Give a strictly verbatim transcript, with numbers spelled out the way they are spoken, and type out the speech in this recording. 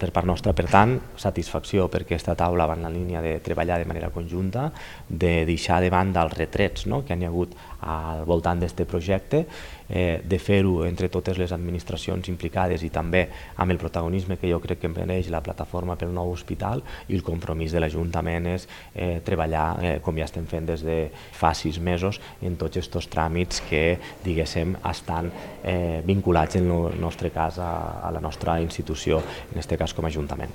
Per part nostra, per tant, satisfacció perquè aquesta taula va en la línia de treballar de manera conjunta, de deixar de banda els retrets no? que hi ha hagut al voltant d'aquest projecte, eh, de fer-ho entre totes les administracions implicades i també amb el protagonisme que jo crec que mereix la plataforma pel nou hospital, i el compromís de l'Ajuntament és eh, treballar, eh, com ja estem fent des de fa sis mesos, en tots aquests tràmits que diguéssim estan eh, vinculats en el nostre cas a, a la nostra institució, en aquest cas com a Ajuntament.